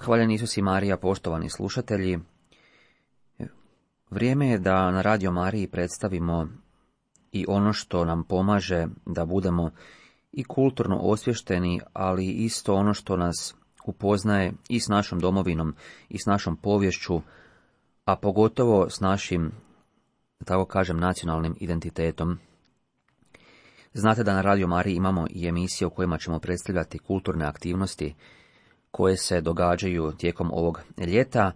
Hvaljen Isus i Marija, poštovani slušatelji. Vrijeme je da na Radio Mariji predstavimo i ono što nam pomaže da budemo i kulturno osvješteni, ali isto ono što nas upoznaje i s našom domovinom i s našom poviješću, a pogotovo s našim, da tako kažem, nacionalnim identitetom. Znate da na Radio Mariji imamo i emisije u kojima ćemo predstavljati kulturne aktivnosti koje se događaju tijekom ovog ljeta,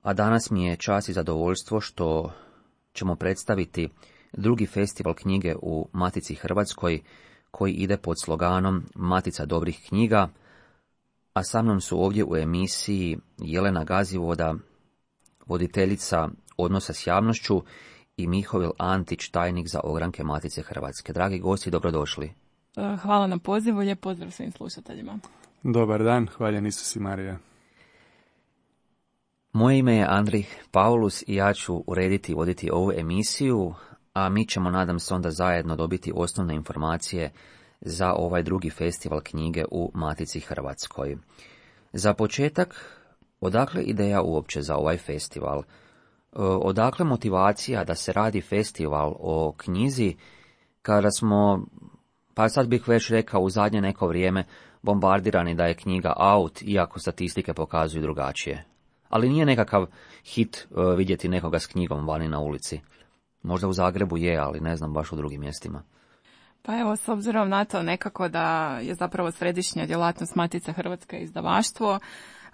a danas mi je čast i zadovoljstvo što ćemo predstaviti drugi festival knjige u Matici Hrvatskoj, koji ide pod sloganom Matica dobrih knjiga, a sa mnom su ovdje u emisiji Jelena Gazivoda, voditeljica odnosa s javnošću, i Mihovil Antić, tajnik za ogranke Matice Hrvatske. Dragi gosti, dobrodošli. Hvala na pozivu, lijep pozdrav svim slušateljima. Dobar dan, hvaljen Isus i Marija. Moje ime je Andrij Paulus i ja ću urediti i voditi ovu emisiju, a mi ćemo, nadam se, onda zajedno dobiti osnovne informacije za ovaj drugi festival knjige u Matici Hrvatskoj. Za početak, odakle ideja uopće za ovaj festival? Odakle motivacija da se radi festival o knjizi kada smo, pa sad bih već rekao, u zadnje neko vrijeme bombardirani da je knjiga out, iako statistike pokazuju drugačije. Ali nije nekakav hit vidjeti nekoga s knjigom vani na ulici. Možda u Zagrebu je, ali ne znam baš u drugim mjestima. Pa evo, s obzirom na to nekako da je zapravo središnja djelatnost Matice Hrvatske izdavaštvo,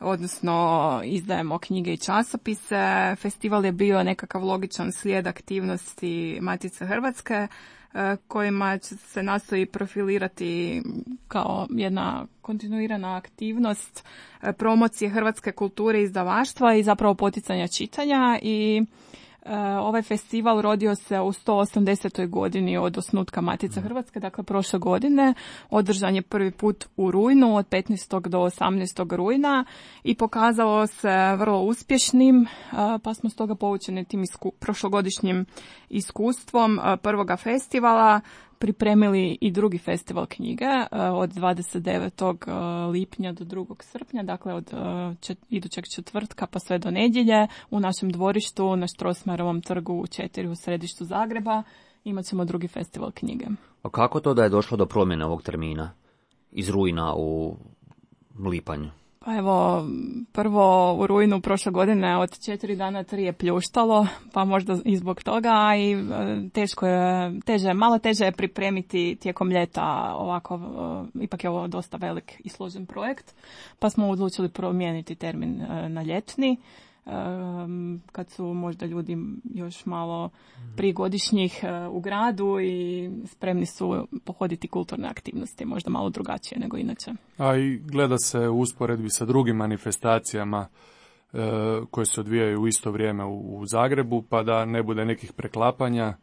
odnosno izdajemo knjige i časopise, festival je bio nekakav logičan slijed aktivnosti Matice Hrvatske, kojima se nastoji profilirati kao jedna kontinuirana aktivnost promocije hrvatske kulture i izdavaštva i zapravo poticanja čitanja. I ovaj festival rodio se u 180. godini od osnutka Matice Hrvatske, dakle prošle godine. Održan je prvi put u rujnu, od 15. do 18. rujna i pokazalo se vrlo uspješnim, pa smo stoga poučeni tim prošlogodišnjim iskustvom prvoga festivala pripremili i drugi festival knjige od 29. lipnja do 2. srpnja, dakle od idućeg četvrtka pa sve do nedjelje u našem dvorištu na Strossmayerovom trgu u 4 u središtu Zagreba imat ćemo drugi festival knjige. A kako to da je došlo do promjene ovog termina iz rujna u lipanj? Pa evo, prvo u rujnu prošle godine od 4 dana 3 je pljuštalo, pa možda i zbog toga i malo teže je pripremiti tijekom ljeta ovako, ipak je ovo dosta velik i složen projekt, pa smo odlučili promijeniti termin na ljetni, kad su možda ljudi još malo prigodišnjih u gradu i spremni su pohoditi kulturne aktivnosti, možda malo drugačije nego inače. A i gleda se u usporedbi sa drugim manifestacijama koje se odvijaju u isto vrijeme u Zagrebu, pa da ne bude nekih preklapanja.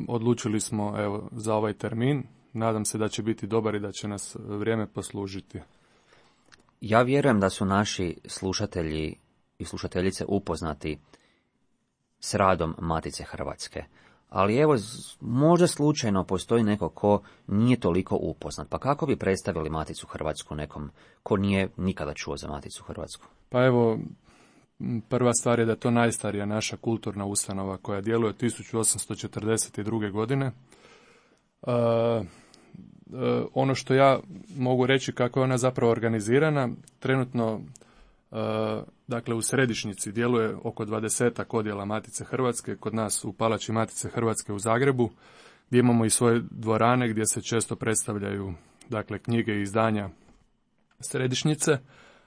Odlučili smo za ovaj termin. Nadam se da će biti dobar i da će nas vrijeme poslužiti. Ja vjerujem da su naši slušatelji i slušateljice upoznati s radom Matice Hrvatske. Ali evo, možda slučajno postoji neko ko nije toliko upoznat. Pa kako bi predstavili Maticu Hrvatsku nekom ko nije nikada čuo za Maticu Hrvatsku? Pa evo, prva stvar je da je to najstarija naša kulturna ustanova koja djeluje od 1842. godine. Ono što ja mogu reći kako je ona zapravo organizirana, trenutno dakle u središnjici djeluje oko 20 odjela Matice Hrvatske, kod nas u Palači Matice Hrvatske u Zagrebu, gdje imamo i svoje dvorane gdje se često predstavljaju dakle knjige i izdanja središnjice,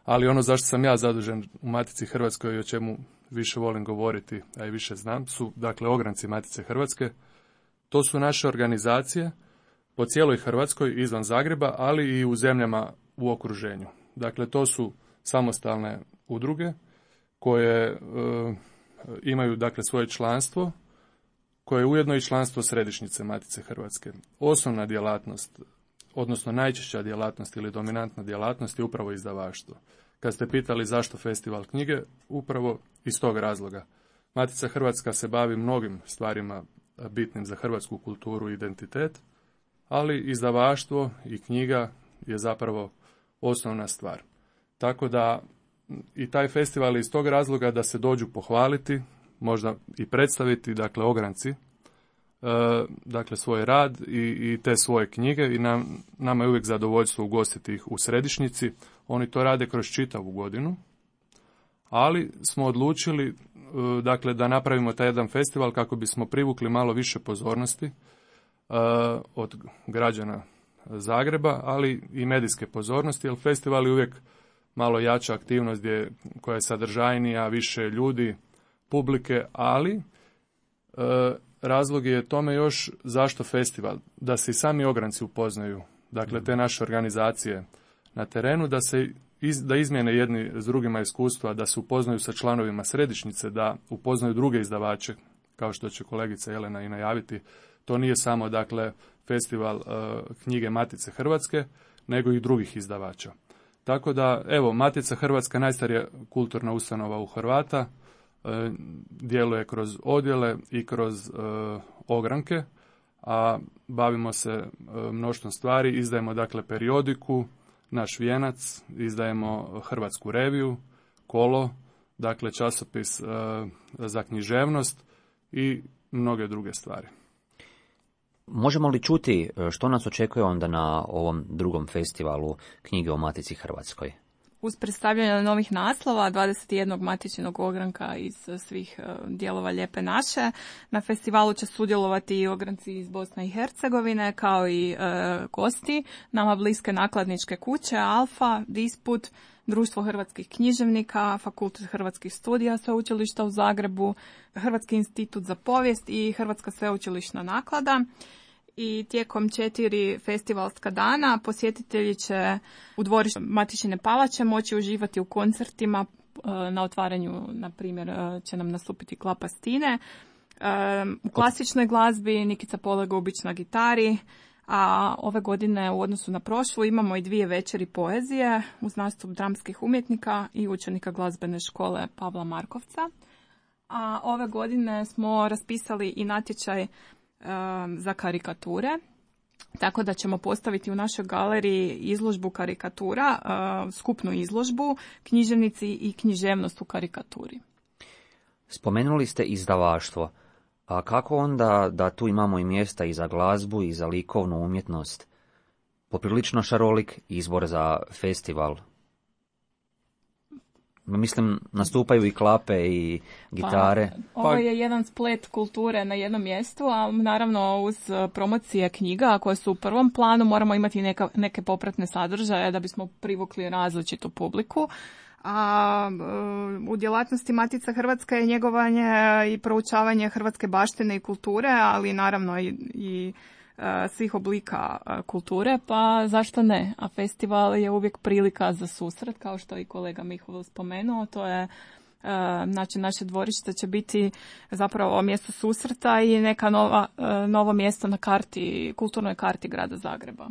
ali ono zašto sam ja zadužen u Matici Hrvatskoj i o čemu više volim govoriti, a i više znam, su dakle ogranci Matice Hrvatske. To su naše organizacije po cijeloj Hrvatskoj izvan Zagreba, ali i u zemljama u okruženju. Dakle, to su samostalne udruge koje imaju dakle svoje članstvo, koje je ujedno i članstvo središnjice Matice Hrvatske. Osnovna djelatnost, odnosno najčešća djelatnost ili dominantna djelatnost je upravo izdavaštvo. Kad ste pitali zašto festival knjige, upravo iz tog razloga. Matica Hrvatska se bavi mnogim stvarima bitnim za hrvatsku kulturu i identitet, ali izdavaštvo i knjiga je zapravo osnovna stvar. Tako da i taj festival je iz tog razloga da se dođu pohvaliti, možda i predstaviti, dakle, ogranci, dakle, svoj rad i te svoje knjige i nama je uvijek zadovoljstvo ugostiti ih u središnjici. Oni to rade kroz čitavu godinu, ali smo odlučili, dakle, da napravimo taj jedan festival kako bismo privukli malo više pozornosti od građana Zagreba, ali i medijske pozornosti, jer festival je uvijek malo jača aktivnost koja je sadržajnija, više ljudi, publike, ali razlog je tome još zašto festival, da se i sami ogranci upoznaju, dakle, te naše organizacije na terenu, da izmijene jedni s drugima iskustva, da se upoznaju sa članovima središnjice, da upoznaju druge izdavače, kao što će kolegica Jelena i najaviti. To nije samo, dakle, festival knjige Matice Hrvatske, nego i drugih izdavača. Tako da, evo, Matica Hrvatska, najstarija kulturna ustanova u Hrvata, djeluje kroz odjele i kroz ogranke, a bavimo se mnoštvom stvari. Izdajemo, dakle, periodiku, Naš vijenac, izdajemo Hrvatsku reviju, Kolo, dakle, časopis za književnost i mnoge druge stvari. Možemo li čuti što nas očekuje onda na ovom drugom festivalu knjige o Matici Hrvatskoj? Uz predstavljanje novih naslova 21 matičinog ogranka iz svih dijelova Lijepe naše, na festivalu će sudjelovati i ogranci iz Bosne i Hercegovine, kao i gosti nama bliske nakladničke kuće, Alfa, Disput, Društvo hrvatskih književnika, Fakultet hrvatskih studija Sveučilišta u Zagrebu, Hrvatski institut za povijest i Hrvatska sveučilišna naklada. I tijekom 4 festivalska dana posjetitelji će u dvorištu Matičine palače moći uživati u koncertima. Na otvaranju, na primjer, će nam nastupiti Klapa Stine. U klasičnoj glazbi Nikica Polegobić na gitari, a ove godine u odnosu na prošlu imamo i 2 večeri poezije uz nastup dramskih umjetnika i učenika glazbene škole Pavla Markovca. A ove godine smo raspisali i natječaj za karikature, tako da ćemo postaviti u našoj galeriji izložbu karikatura, skupnu izložbu Književnici i književnost u karikaturi. Spomenuli ste izdavaštvo, a kako onda da tu imamo i mjesta i za glazbu i za likovnu umjetnost? Poprilično šarolik izbor za festival. Mislim, nastupaju i klape i gitare. Ovo je jedan splet kulture na jednom mjestu, a naravno uz promocije knjiga koje su u prvom planu moramo imati neke popratne sadržaje da bismo privukli različitu publiku. A u djelatnosti Matica Hrvatska je njegovanje i proučavanje hrvatske baštine i kulture, ali naravno i svih oblika kulture, pa zašto ne? A festival je uvijek prilika za susret, kao što je i kolega Mihovil spomenuo. To je, znači, naše dvorište će biti zapravo mjesto susreta i neka novo mjesto na karti, kulturnoj karti grada Zagreba.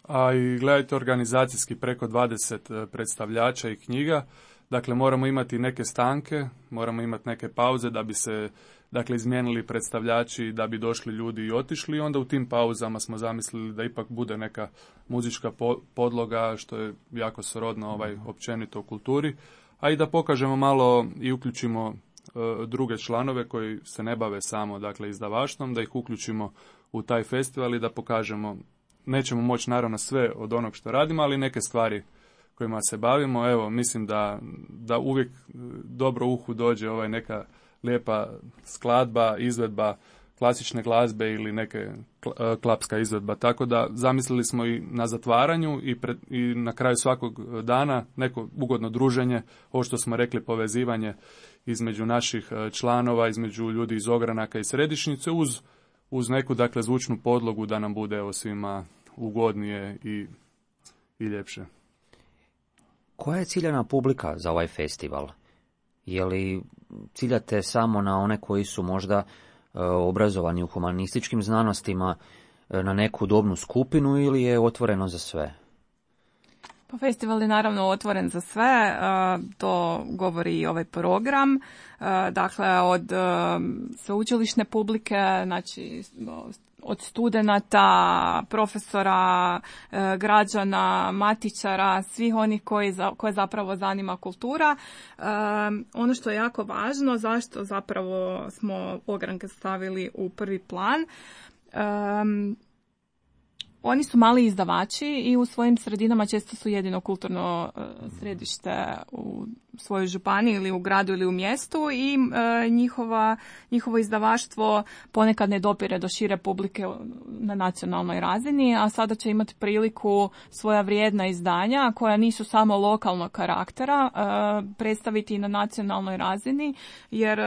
A i gledajte, organizacijski preko 20 predstavljača i knjiga. Dakle, moramo imati neke stanke, moramo imati neke pauze da bi se, dakle, izmijenili predstavljači, da bi došli ljudi i otišli. I onda u tim pauzama smo zamislili da ipak bude neka muzička podloga, što je jako srodno općenito u kulturi, a i da pokažemo malo i uključimo druge članove koji se ne bave samo, dakle, izdavaštvom, da ih uključimo u taj festival i da pokažemo. Nećemo moći naravno sve od onog što radimo, ali neke stvari kojima se bavimo. Evo, mislim da uvijek dobro uhu dođe neka lijepa skladba, izvedba klasične glazbe ili neke klapska izvedba. Tako da zamislili smo i na zatvaranju i na kraju svakog dana neko ugodno druženje, ovo što smo rekli, povezivanje između naših članova, između ljudi iz ogranaka i središnjice, uz neku, dakle, zvučnu podlogu da nam bude svima ugodnije i ljepše. Koja je ciljana publika za ovaj festival? Je li ciljate samo na one koji su možda obrazovani u humanističkim znanostima, na neku dobnu skupinu, ili je otvoreno za sve? Pa festival je naravno otvoren za sve, to govori i ovaj program, dakle od sveučilišne publike, znači od studenata, profesora, građana, matičara, svih onih koje zapravo zanima kultura. Ono što je jako važno, zašto zapravo smo ogranke stavili u prvi plan, oni su mali izdavači i u svojim sredinama često su jedino kulturno središte u svojoj županiji ili u gradu ili u mjestu i njihovo izdavaštvo ponekad ne dopire do šire publike na nacionalnoj razini, a sada će imati priliku svoja vrijedna izdanja koja nisu samo lokalnog karaktera predstaviti i na nacionalnoj razini, jer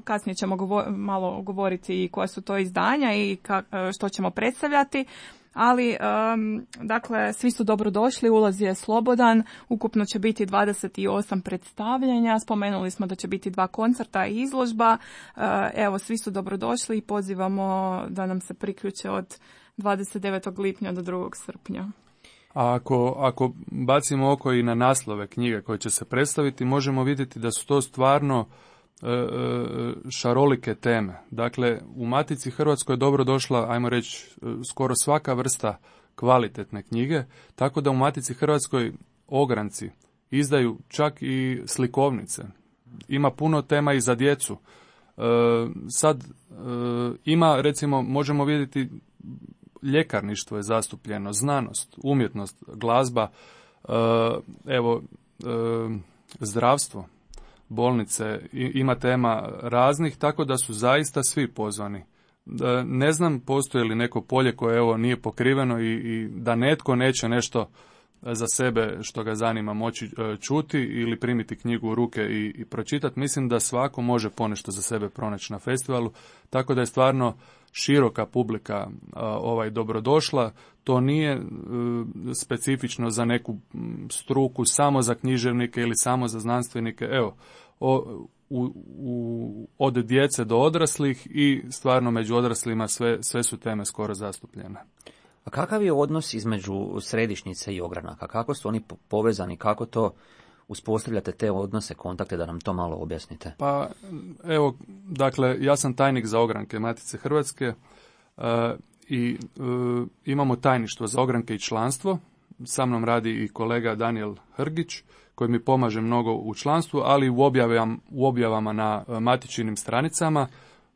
kasnije ćemo malo govoriti i koja su to izdanja i što ćemo predstavljati. Ali, dakle, svi su dobrodošli, ulaz je slobodan, ukupno će biti 28 predstavljanja, spomenuli smo da će biti 2 koncerta i izložba, evo, svi su dobrodošli i pozivamo da nam se priključe od 29. lipnja do 2. srpnja. A ako bacimo oko i na naslove knjige koje će se predstaviti, možemo vidjeti da su to stvarno šarolike teme. Dakle, u Matici Hrvatskoj je dobro došla, ajmo reći, skoro svaka vrsta kvalitetne knjige, tako da u Matici Hrvatskoj ogranci izdaju čak i slikovnice. Ima puno tema i za djecu. Sad ima, recimo, možemo vidjeti ljekarništvo je zastupljeno, znanost, umjetnost, glazba, zdravstvo, bolnice, ima tema raznih, tako da su zaista svi pozvani. Ne znam postoji li neko polje koje nije pokriveno i da netko neće nešto za sebe što ga zanima moći čuti ili primiti knjigu u ruke i pročitati. Mislim da svako može ponešto za sebe pronaći na festivalu, tako da je stvarno široka publika dobrodošla. To nije specifično za neku struku, samo za književnike ili samo za znanstvenike. Evo, od djece do odraslih i stvarno među odraslima sve su teme skoro zastupljene. A kakav je odnos između središnjice i ogranaka? Kako su oni povezani? Kako to uspostavljate te odnose, kontakte, da nam to malo objasnite? Pa evo, dakle, ja sam tajnik za ogranke Matice Hrvatske i imamo tajništvo za ogranke i članstvo. Sa mnom radi i kolega Daniel Hrgić, koji mi pomaže mnogo u članstvu, ali i u objavama na matičinim stranicama,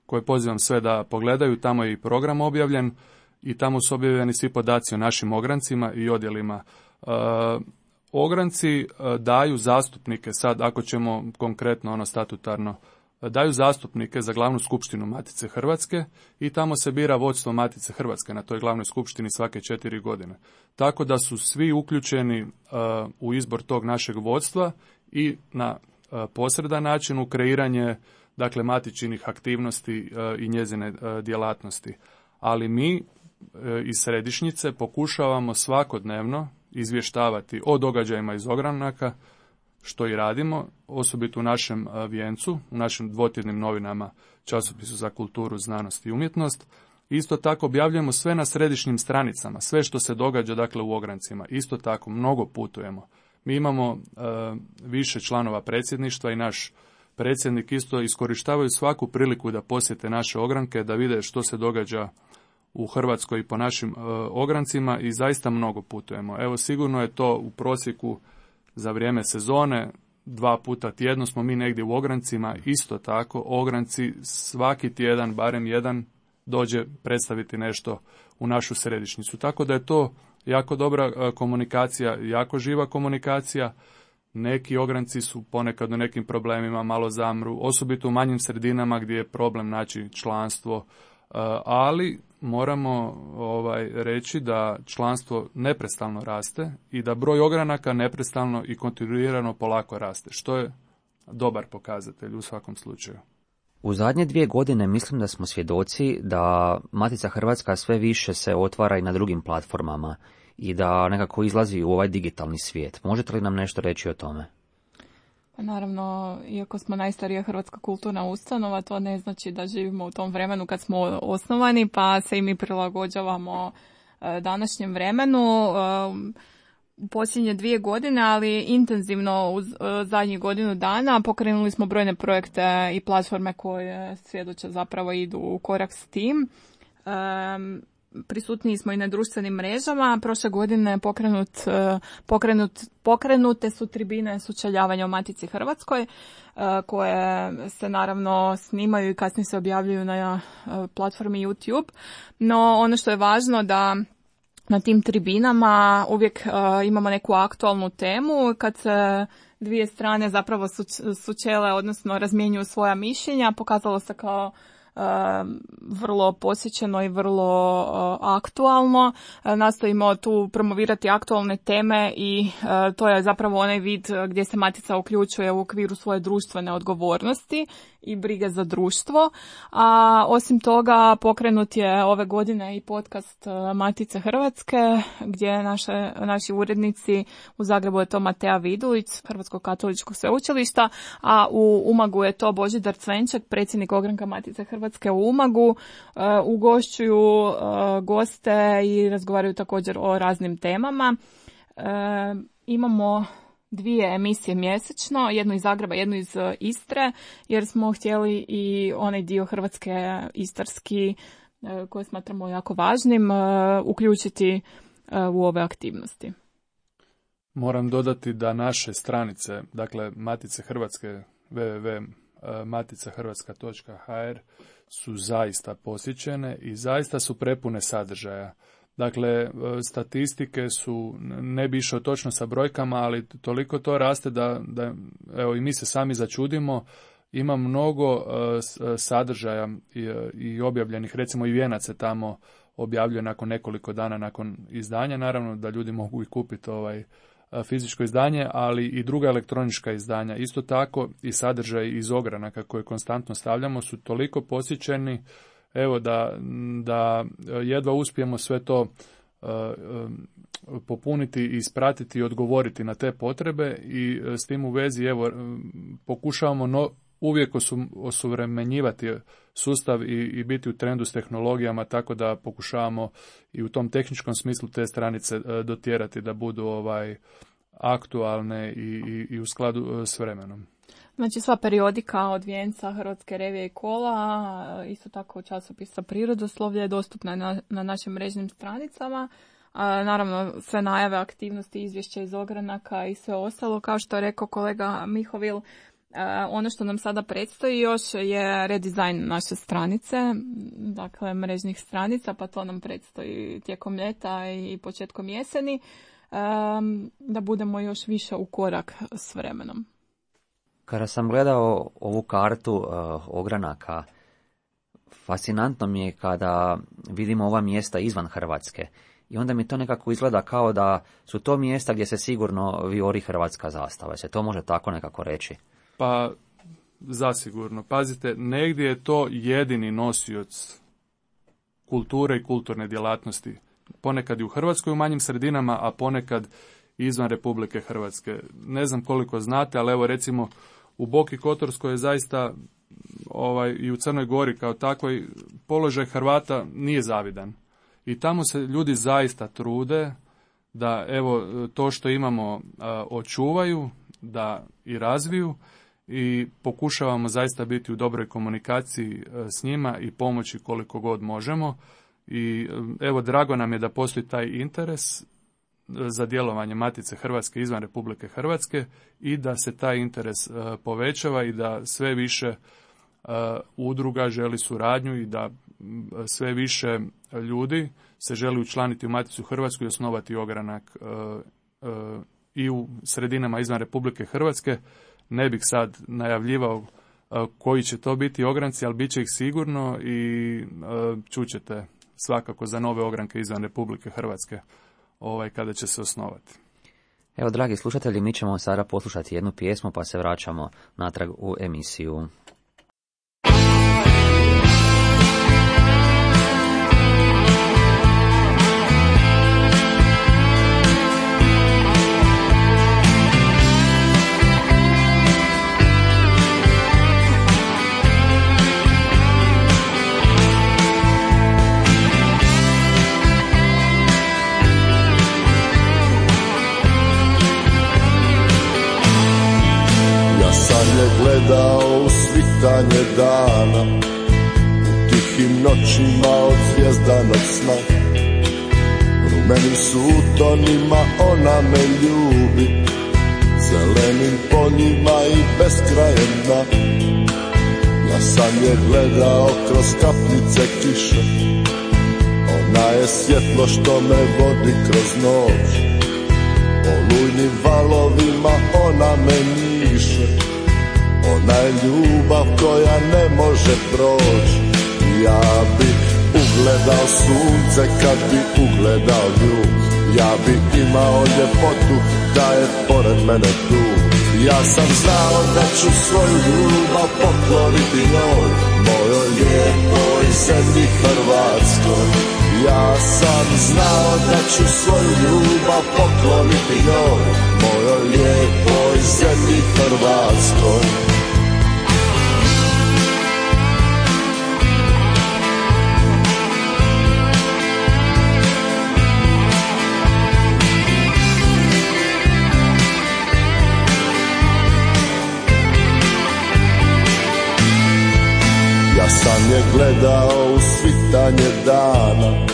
koje pozivam sve da pogledaju. Tamo je i program objavljen i tamo su objavljeni svi podaci o našim ograncima i odjelima. Ogranci daju zastupnike, sad ako ćemo konkretno statutarno, daju zastupnike za glavnu skupštinu Matice Hrvatske i tamo se bira vodstvo Matice Hrvatske na toj glavnoj skupštini svake 4 godine. Tako da su svi uključeni u izbor tog našeg vodstva i na posredan način u kreiranje, dakle, matičinih aktivnosti i njezine djelatnosti. Ali mi iz središnjice pokušavamo svakodnevno izvještavati o događajima iz ogranaka, što i radimo, osobito u našem vijencu, u našim dvotjednim novinama, časopisu za kulturu, znanost i umjetnost. Isto tako objavljujemo sve na središnjim stranicama, sve što se događa, dakle, u ograncima. Isto tako mnogo putujemo. Mi imamo više članova predsjedništva i naš predsjednik isto iskorištavaju svaku priliku da posjete naše ogranke, da vide što se događa u Hrvatskoj i po našim ograncima i zaista mnogo putujemo. Evo, sigurno je to u prosjeku za vrijeme sezone, 2 puta tjedno smo mi negdje u ograncima. Isto tako, ogranci svaki tjedan, barem jedan, dođe predstaviti nešto u našu središnjicu. Tako da je to jako dobra komunikacija, jako živa komunikacija. Neki ogranci su ponekad u nekim problemima, malo zamru, osobito u manjim sredinama gdje je problem naći članstvo, ali moramo reći da članstvo neprestano raste i da broj ogranaka neprestano i kontinuirano polako raste, što je dobar pokazatelj u svakom slučaju. U zadnje 2 godine mislim da smo svjedoci da Matica Hrvatska sve više se otvara i na drugim platformama i da nekako izlazi u ovaj digitalni svijet. Možete li nam nešto reći o tome? Pa naravno, iako smo najstarija hrvatska kulturna ustanova, to ne znači da živimo u tom vremenu kad smo osnovani, pa se i mi prilagođavamo današnjem vremenu. u posljednje 2 godine, ali intenzivno u zadnjih godinu dana pokrenuli smo brojne projekte i platforme koje svjedoče zapravo idu u korak s tim. Prisutniji smo i na društvenim mrežama. Prošle godine pokrenute su tribine sučeljavanja o Matici Hrvatskoj, koje se naravno snimaju i kasnije se objavljuju na platformi YouTube. No ono što je važno da na tim tribinama uvijek imamo neku aktualnu temu kad se dvije strane zapravo sučele, odnosno razmjenjuju svoja mišljenja. Pokazalo se kao vrlo posjećeno i vrlo aktualno. Nastojimo tu promovirati aktualne teme i to je zapravo onaj vid gdje se Matica uključuje u okviru svoje društvene odgovornosti i brige za društvo. A osim toga pokrenut je ove godine i podcast Matice Hrvatske gdje naši urednici u Zagrebu je to Matea Vidulić, Hrvatskog katoličkog sveučilišta, a u Umagu je to Božidar Cvenčak, predsjednik ogranka Matice Hrvatske u Umagu. Ugošćuju goste i razgovaraju također o raznim temama. Imamo 2 emisije mjesečno, jednu iz Zagreba, jednu iz Istre, jer smo htjeli i onaj dio Hrvatske istarski koji smatramo jako važnim uključiti u ove aktivnosti. Moram dodati da naše stranice, dakle Matice Hrvatske, www.maticahrvatska.hr su zaista posjećene i zaista su prepune sadržaja. Dakle, statistike su, ne bi išao točno sa brojkama, ali toliko to raste da evo i mi se sami začudimo. Ima mnogo sadržaja i objavljenih, recimo i Vijenac se tamo objavljuje nakon nekoliko dana nakon izdanja, naravno da ljudi mogu i kupiti fizičko izdanje, ali i druga elektronička izdanja. Isto tako i sadržaj iz ogranaka koje konstantno stavljamo su toliko posjećeni, evo da jedva uspijemo sve to popuniti i ispratiti i odgovoriti na te potrebe i s tim u vezi evo pokušavamo uvijek osuvremenjivati sustav i biti u trendu s tehnologijama, tako da pokušavamo i u tom tehničkom smislu te stranice dotjerati da budu aktualne i u skladu s vremenom. Znači sva periodika od Vijenca, Hrvatske revije i kola, isto tako časopisa Prirodoslovlje je dostupna na našim mrežnim stranicama. Naravno sve najave, aktivnosti, izvješća iz ogranaka i sve ostalo. Kao što je rekao kolega Mihovil, ono što nam sada predstoji još je redizajn naše stranice, dakle mrežnih stranica, pa to nam predstoji tijekom ljeta i početkom jeseni, da budemo još više u korak s vremenom. Kada sam gledao ovu kartu ogranaka, fascinantno mi je kada vidimo ova mjesta izvan Hrvatske. I onda mi to nekako izgleda kao da su to mjesta gdje se sigurno vijori hrvatska zastava. Se to može tako nekako reći? Pa, zasigurno. Pazite, negdje je to jedini nosioc kulture i kulturne djelatnosti. Ponekad i u Hrvatskoj u manjim sredinama, a ponekad izvan Republike Hrvatske. Ne znam koliko znate, ali evo recimo u Boki Kotorskoj je zaista i u Crnoj Gori kao takvoj položaj Hrvata nije zavidan. I tamo se ljudi zaista trude da evo to što imamo očuvaju, da i razviju i pokušavamo zaista biti u dobroj komunikaciji s njima i pomoći koliko god možemo. I evo drago nam je da postoji taj interes za djelovanje Matice Hrvatske izvan Republike Hrvatske i da se taj interes povećava i da sve više udruga želi suradnju i da sve više ljudi se želi učlaniti u Maticu Hrvatsku i osnovati ogranak i u sredinama izvan Republike Hrvatske. Ne bih sad najavljivao koji će to biti ogranci, ali bit će ih sigurno i čućete svakako za nove ogranke izvan Republike Hrvatske kada će se osnovati. Evo, dragi slušatelji, mi ćemo sada poslušati jednu pjesmu pa se vraćamo natrag u emisiju. svitanje dana, u tihim noćima od zvjezdanog sna. Rumenim sutonima ona me ljubi, zelenim poljima i beskrajem dna. Ja sam je gledao kroz kapljice kiše, ona je svjetlo što me vodi kroz noć. Olujnim valovima ona me njiše, ona je ljubav koja ne može proći. Ja bi ugledao sunce kad bi ugledao nju, ja bi imao ljepotu da je pored mene tu. Ja sam znao da ću svoju ljubav pokloniti njoj, mojoj lijepoj zemlji Hrvatskoj. Ja sam znao da ću svoju ljubav pokloniti njoj, mojoj lijepoj zemlji Hrvatskoj. Ja sam je gledao u svitanje dana,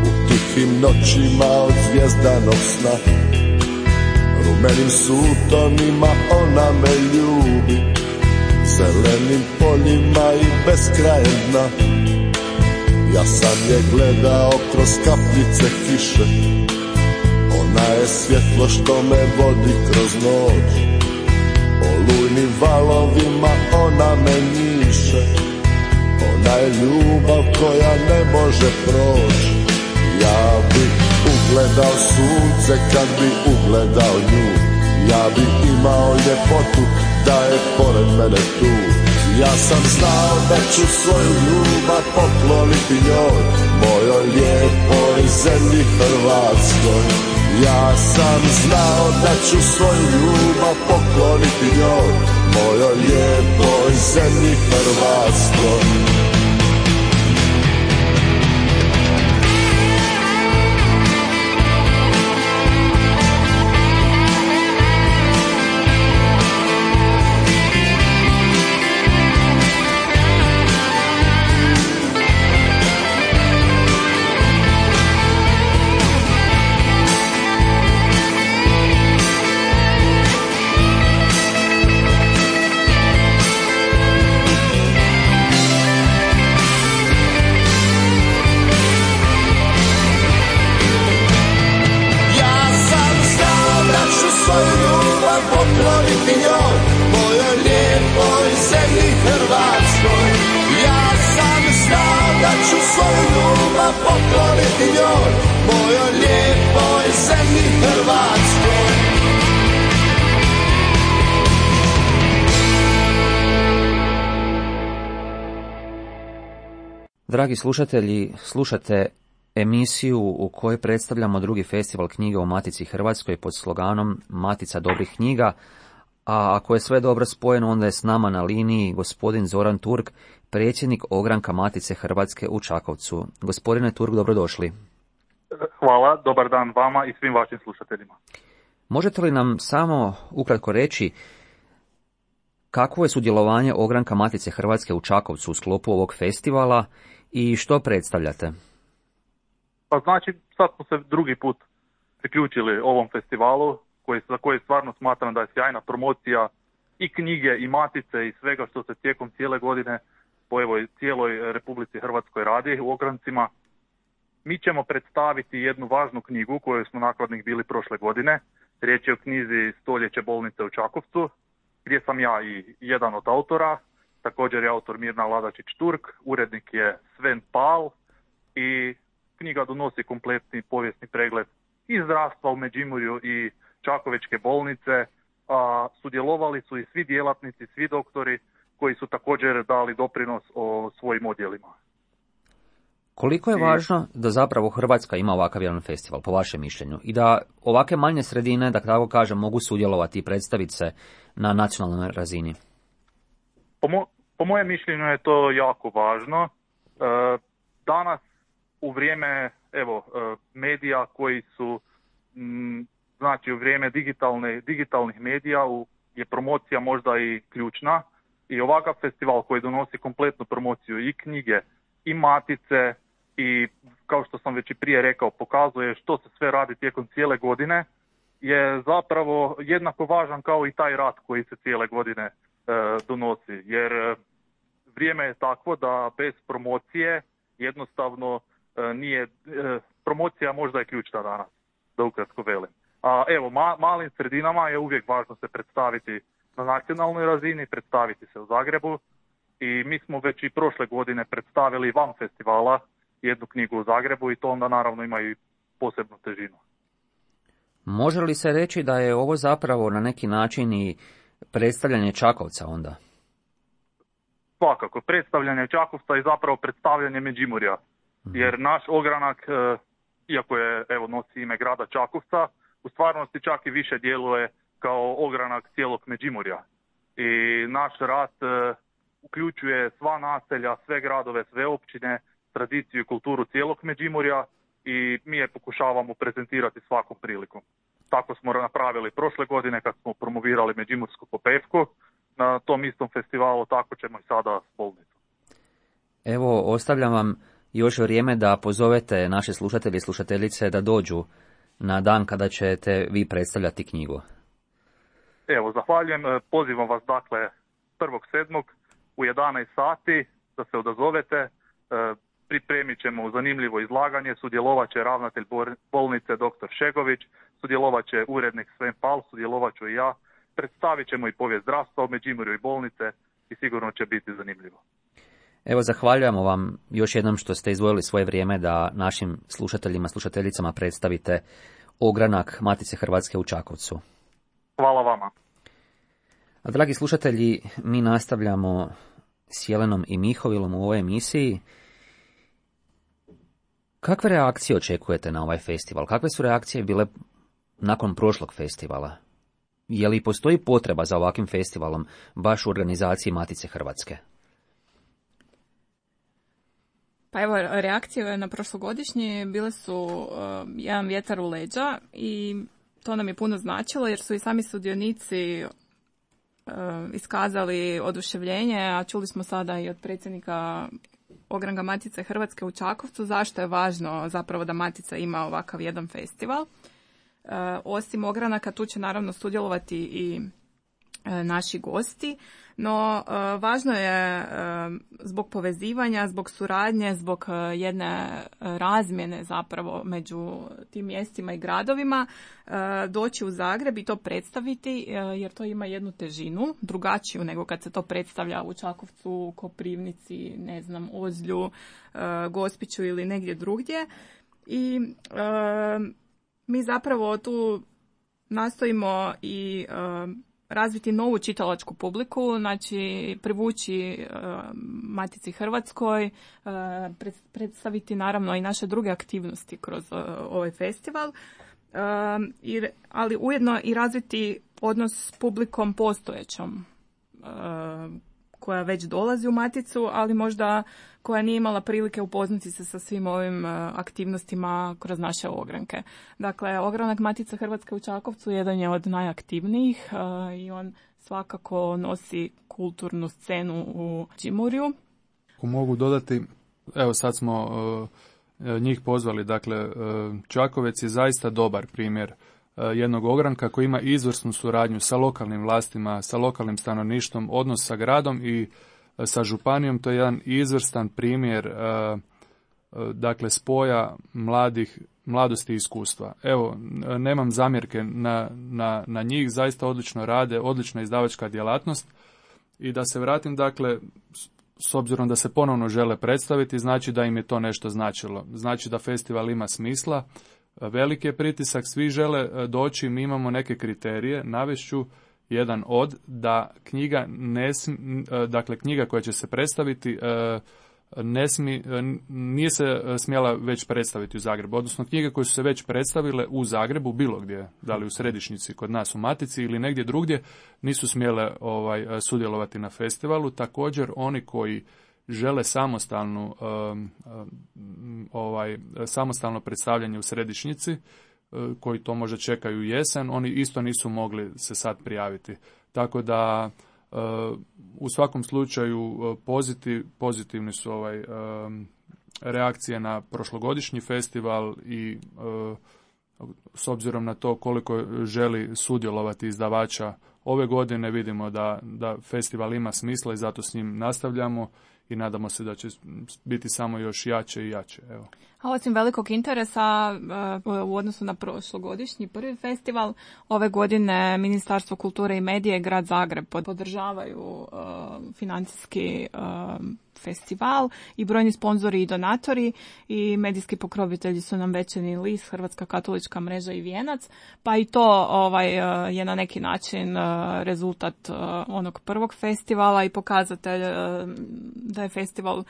u tihim noćima od zvjezdanog sna. Rumenim sutonima ona me ljubi, zelenim poljima i beskrajem dna. Ja sam je gledao kroz kapljice kiše, ona je svjetlo što me vodi kroz noć. Olujnim valovima ona me njiše, ona je ljubav koja ne može proći. Ja bi ugledao sunce kad bi ugledao nju, ja bi imao ljepotu da je pored mene tu. Ja sam znao da ću svoju ljubav pokloniti njoj, mojoj lijepoj zemlji Hrvatskoj. Ja sam znao da ću svoju ljubav pokloniti njoj, mojoj lijepoj zemlji Hrvatskoj. Dragi slušatelji, slušate emisiju u kojoj predstavljamo drugi festival knjige u Matici Hrvatskoj pod sloganom Matica dobrih knjiga, a ako je sve dobro spojeno, onda je s nama na liniji gospodin Zoran Turk, predsjednik ogranka Matice Hrvatske u Čakovcu. Gospodine Turk, dobrodošli. Hvala, dobar dan vama i svim vašim slušateljima. Možete li nam samo ukratko reći kakvo je sudjelovanje ogranka Matice Hrvatske u Čakovcu u sklopu ovog festivala i što predstavljate? Pa znači, sad smo se drugi put priključili ovom festivalu, za koji stvarno smatram da je sjajna promocija i knjige i Matice i svega što se tijekom cijele godine po cijeloj Republici Hrvatskoj radi u ograncima. Mi ćemo predstaviti jednu važnu knjigu koju smo nakladnik bili prošle godine. Riječ je o knjizi Stoljeće bolnice u Čakovcu, gdje sam ja i jedan od autora. Također je autor Mirna Ladačić-Turk, urednik je Sven Pal i knjiga donosi kompletni povijesni pregled i zdravstva u Međimurju i Čakovečke bolnice, a sudjelovali su i svi djelatnici, svi doktori koji su također dali doprinos o svojim odjelima. Koliko je važno da zapravo Hrvatska ima ovakav jedan festival, po vašem mišljenju, i da ovake manje sredine, da tako kažem, mogu sudjelovati i predstaviti se na nacionalnoj razini? Po mojem mišljenju je to jako važno. Danas u vrijeme medija koji su, znači u vrijeme digitalnih medija je promocija možda i ključna. I ovakav festival koji donosi kompletnu promociju i knjige i matice i, kao što sam već i prije rekao, pokazuje što se sve radi tijekom cijele godine, je zapravo jednako važan kao i taj rad koji se cijele godine donosi. Jer vrijeme je takvo da bez promocije jednostavno nije, promocija možda je ključna danas, da ukratko velim. A evo, malim sredinama je uvijek važno se predstaviti na nacionalnoj razini, predstaviti se u Zagrebu i mi smo već i prošle godine predstavili van festivala jednu knjigu u Zagrebu i to onda naravno ima i posebnu težinu. Može li se reći da je ovo zapravo na neki način i predstavljanje Čakovca onda? Svakako, predstavljanje Čakovca je zapravo predstavljanje Međimurja, jer naš ogranak, iako je, evo, nosi ime grada Čakovca, u stvarnosti čak i više djeluje kao ogranak cijelog Međimurja. I naš rad uključuje sva naselja, sve gradove, sve općine, tradiciju i kulturu cijelog Međimurja i mi je pokušavamo prezentirati svakom prilikom. Tako smo napravili prošle godine kad smo promovirali Međimursku popevku na tom istom festivalu, tako ćemo i sada s Bolnicom. Evo, ostavljam vam još vrijeme da pozovete naše slušatelje i slušateljice da dođu na dan kada ćete vi predstavljati knjigu. Evo, zahvaljujem. Pozivam vas, dakle, 1.7. u 11 sati da se odazovete. Pripremit ćemo zanimljivo izlaganje, sudjelovat će ravnatelj bolnice dr. Šegović, sudjelovat će urednik Sven Pal, sudjelovat ću i ja, predstavit ćemo i povijest zdravstva u Međimurju i bolnice i sigurno će biti zanimljivo. Evo, zahvaljujemo vam još jednom što ste izdvojili svoje vrijeme da našim slušateljima, slušateljicama predstavite ogranak Matice Hrvatske u Čakovcu. Hvala vama. A dragi slušatelji, mi nastavljamo s Jelenom i Mihovilom u ovoj emisiji. Kakve reakcije očekujete na ovaj festival? Kakve su reakcije bile nakon prošlog festivala? Je li postoji potreba za ovakvim festivalom baš u organizaciji Matice Hrvatske? Pa evo, reakcije na prošlogodišnje bile su jedan vjetar u leđa i to nam je puno značilo jer su i sami sudionici iskazali oduševljenje, a čuli smo sada i od predsjednika ogranka Matice Hrvatske u Čakovcu zašto je važno zapravo da Matica ima ovakav jedan festival. Osim ogranaka tu će naravno sudjelovati i naši gosti, no važno je zbog povezivanja, zbog suradnje, zbog jedne razmjene zapravo među tim mjestima i gradovima doći u Zagreb i to predstaviti jer to ima jednu težinu, drugačiju nego kad se to predstavlja u Čakovcu, Koprivnici, ne znam, Ozlju, Gospiću ili negdje drugdje. I mi zapravo tu nastojimo i razviti novu čitalačku publiku, znači privući Matici Hrvatskoj, predstaviti naravno i naše druge aktivnosti kroz ovaj festival, ali ujedno i razviti odnos s publikom postojećom koja već dolazi u Maticu, ali možda koja nije imala prilike upoznati se sa svim ovim aktivnostima kroz naše ogranke. Dakle, ogranak Matice Hrvatske u Čakovcu jedan je od najaktivnijih i on svakako nosi kulturnu scenu u Međimurju. Ako mogu dodati, evo sad smo njih pozvali, dakle Čakovec je zaista dobar primjer jednog ogranka koji ima izvrsnu suradnju sa lokalnim vlastima, sa lokalnim stanovništvom, odnos sa gradom i sa županijom. To je jedan izvrstan primjer dakle spoja mladosti i iskustva. Evo, nemam zamjerke na njih, zaista odlično rade, odlična izdavačka djelatnost. I da se vratim, dakle, s obzirom da se ponovno žele predstaviti, znači da im je to nešto značilo. Znači da festival ima smisla, veliki je pritisak, svi žele doći, mi imamo neke kriterije, navešću jedan od, da knjiga dakle knjiga koja će se predstaviti nije se smjela već predstaviti u Zagrebu, odnosno knjige koje su se već predstavile u Zagrebu, bilo gdje, da li u središnjici kod nas u Matici ili negdje drugdje, nisu smjele sudjelovati na festivalu. Također oni koji žele samostalno predstavljanje u središnjici, koji to možda čekaju u jesen, oni isto nisu mogli se sad prijaviti. Tako da U svakom slučaju pozitivni su reakcije na prošlogodišnji festival i s obzirom na to koliko želi sudjelovati izdavača ove godine, vidimo da festival ima smisla i zato s njim nastavljamo i nadamo se da će biti samo još jače i jače. Evo. A osim velikog interesa u odnosu na prošlogodišnji prvi festival, ove godine Ministarstvo kulture i medije i Grad Zagreb podržavaju financijski festival i brojni sponzori i donatori i medijski pokrovitelji su nam Večernji list, Hrvatska katolička mreža i Vijenac, pa i to je na neki način rezultat onog prvog festivala i pokazatelj da je festival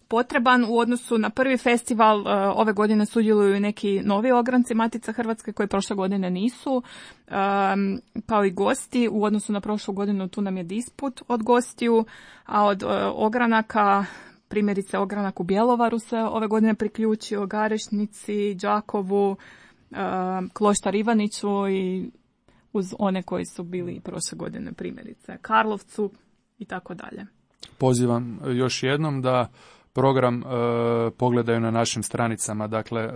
potreban. U odnosu na prvi festival ove godine sudjeluju neki novi ogranci Matice Hrvatske koji prošle godine nisu, kao i gosti. U odnosu na prošlu godinu tu nam je disput od gostiju, a od ogranaka, primjerice ogranak u Bjelovaru se ove godine priključio, Garešnici, Đakovu, Kloštar Ivaniću i uz one koji su bili prošle godine, primjerice Karlovcu i tako dalje. Pozivam još jednom da program pogledaju na našim stranicama, dakle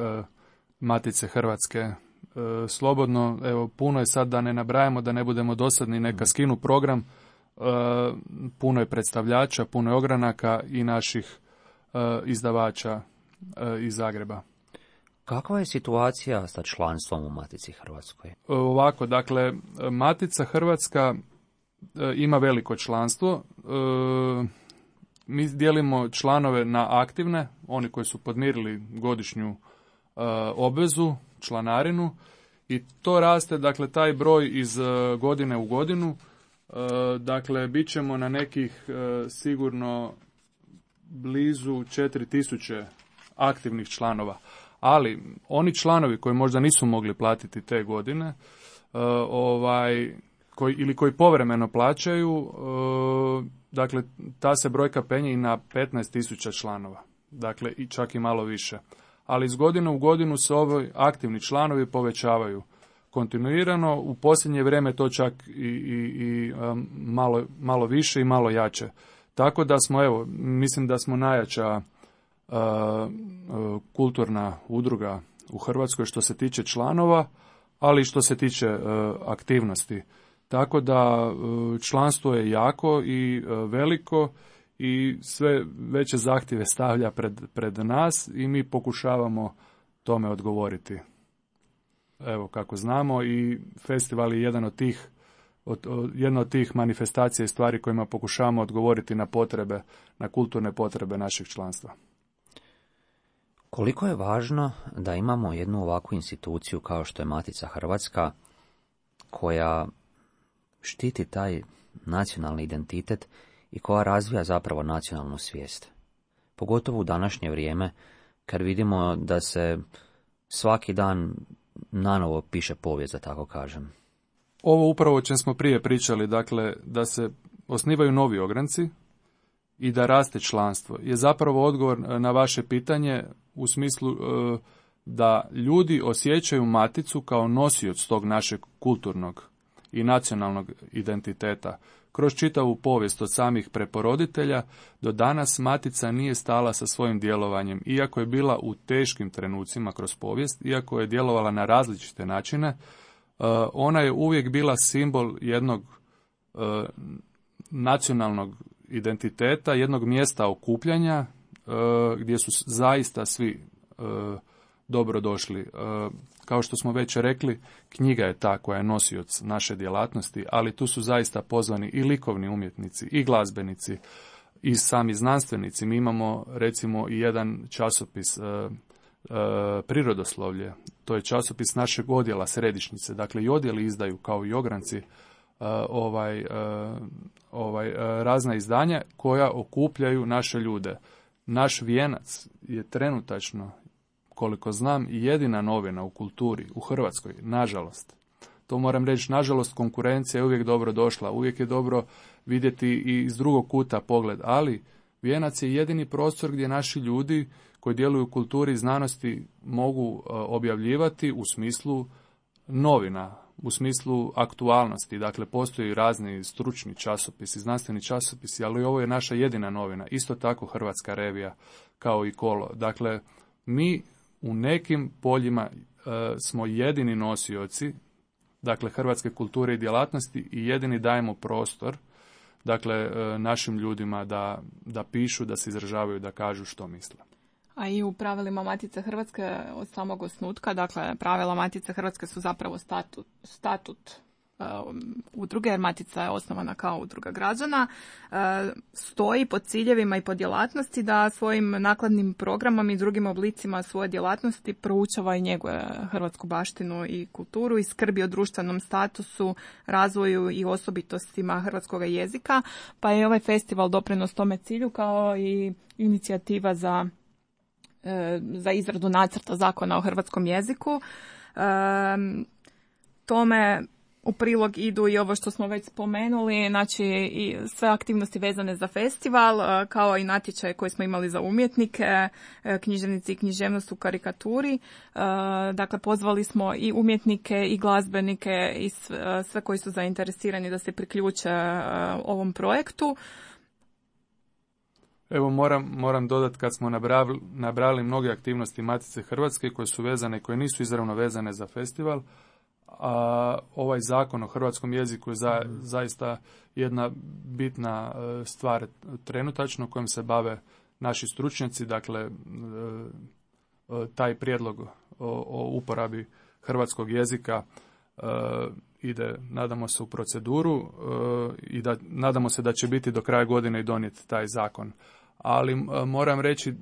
Matice Hrvatske slobodno. Evo, puno je sad, da ne nabrajamo, da ne budemo dosadni, neka skinu program. Puno je predstavljača, puno je ogranaka i naših izdavača iz Zagreba. Kakva je situacija sa članstvom u Matici Hrvatskoj? Ovako, dakle, Matica Hrvatska ima veliko članstvo. Mi dijelimo članove na aktivne, oni koji su podmirili godišnju obvezu, članarinu, i to raste, dakle, taj broj iz godine u godinu. Dakle, bit ćemo na nekih sigurno blizu 4000 aktivnih članova. Ali oni članovi koji možda nisu mogli platiti te godine, koji povremeno plaćaju, dakle, ta se brojka penje i na 15.000 članova, dakle, i čak i malo više. Ali iz godine u godinu se ovi aktivni članovi povećavaju kontinuirano, u posljednje vrijeme to čak i malo više i malo jače. Tako da smo, evo, mislim da smo najjača kulturna udruga u Hrvatskoj što se tiče članova, ali i što se tiče aktivnosti. Tako da članstvo je jako i veliko i sve veće zahtjeve stavlja pred nas i mi pokušavamo tome odgovoriti. Evo, kako znamo, i festival je jedna od tih manifestacija i stvari kojima pokušavamo odgovoriti na potrebe, na kulturne potrebe našeg članstva. Koliko je važno da imamo jednu ovakvu instituciju kao što je Matica Hrvatska, koja štiti taj nacionalni identitet i koja razvija zapravo nacionalnu svijest. Pogotovo u današnje vrijeme, kad vidimo da se svaki dan nanovo piše povijest, da tako kažem. Ovo upravo o čem smo prije pričali, dakle, da se osnivaju novi ogranci i da raste članstvo, je zapravo odgovor na vaše pitanje u smislu da ljudi osjećaju Maticu kao nosioc tog našeg kulturnog i nacionalnog identiteta. Kroz čitavu povijest od samih preporoditelja do danas Matica nije stala sa svojim djelovanjem, iako je bila u teškim trenucima kroz povijest, iako je djelovala na različite načine, ona je uvijek bila simbol jednog nacionalnog identiteta, jednog mjesta okupljanja gdje su zaista svi dobro došli. Kao što smo već rekli, knjiga je ta koja je nosioc naše djelatnosti, ali tu su zaista pozvani i likovni umjetnici, i glazbenici, i sami znanstvenici. Mi imamo, recimo, i jedan časopis Prirodoslovlje. To je časopis našeg odjela središnjice. Dakle, i odjeli izdaju, kao i ogranci, razna izdanja koja okupljaju naše ljude. Naš Vijenac je trenutačno, koliko znam, jedina novina u kulturi u Hrvatskoj, nažalost. To moram reći, nažalost, konkurencija je uvijek dobro došla, uvijek je dobro vidjeti i iz drugog kuta pogled, ali Vijenac je jedini prostor gdje naši ljudi koji djeluju u kulturi i znanosti mogu objavljivati u smislu novina u smislu aktualnosti. Dakle, postoji razni stručni časopisi, znanstveni časopisi, ali ovo je naša jedina novina. Isto tako Hrvatska revija kao i Kolo. Dakle, mi u nekim poljima smo jedini nosioci, dakle, hrvatske kulture i djelatnosti i jedini dajemo prostor, dakle, našim ljudima da pišu, da se izražavaju, da kažu što misle. A i u pravilima Matice Hrvatske od samog osnutka, dakle, pravila Matice Hrvatske su zapravo statut udruge, jer Matica je osnovana kao udruga građana, stoji po ciljevima i po djelatnosti da svojim nakladnim programom i drugim oblicima svoje djelatnosti proučava i njeguje hrvatsku baštinu i kulturu i skrbi o društvenom statusu, razvoju i osobitostima hrvatskog jezika, pa je ovaj festival doprinos tome cilju kao i inicijativa za izradu nacrta zakona o hrvatskom jeziku. Tome u prilog idu i ovo što smo već spomenuli, znači i sve aktivnosti vezane za festival, kao i natječaje koje smo imali za umjetnike, književnici i književnost u karikaturi. Dakle, pozvali smo i umjetnike i glazbenike i sve koji su zainteresirani da se priključe ovom projektu. Evo moram dodati, kad smo nabrali mnoge aktivnosti Matice Hrvatske koje su vezane i koje nisu izravno vezane za festival, a ovaj zakon o hrvatskom jeziku je zaista jedna bitna stvar trenutačno kojom se bave naši stručnjaci. Dakle, taj prijedlog o uporabi hrvatskog jezika ide, nadamo se, u proceduru i nadamo se da će biti do kraja godine i donijeti taj zakon. Ali moram reći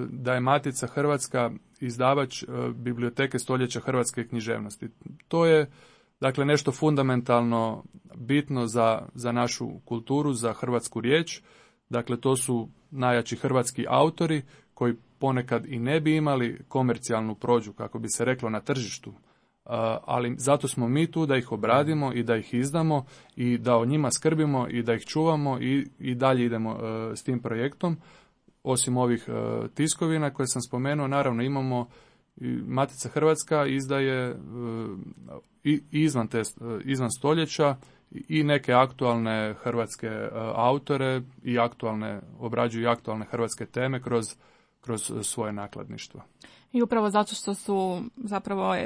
da je Matica Hrvatska izdavač biblioteke stoljeća hrvatske književnosti. To je, dakle, nešto fundamentalno bitno za našu kulturu, za hrvatsku riječ. Dakle, to su najjači hrvatski autori koji ponekad i ne bi imali komercijalnu prođu, kako bi se reklo, na tržištu. Ali zato smo mi tu da ih obradimo i da ih izdamo i da o njima skrbimo i da ih čuvamo i dalje idemo s tim projektom. Osim ovih tiskovina koje sam spomenuo, naravno imamo Matica Hrvatska izdaje izvan stoljeća i neke aktualne hrvatske autore i obrađuju aktualne hrvatske teme kroz svoje nakladništvo. I upravo zato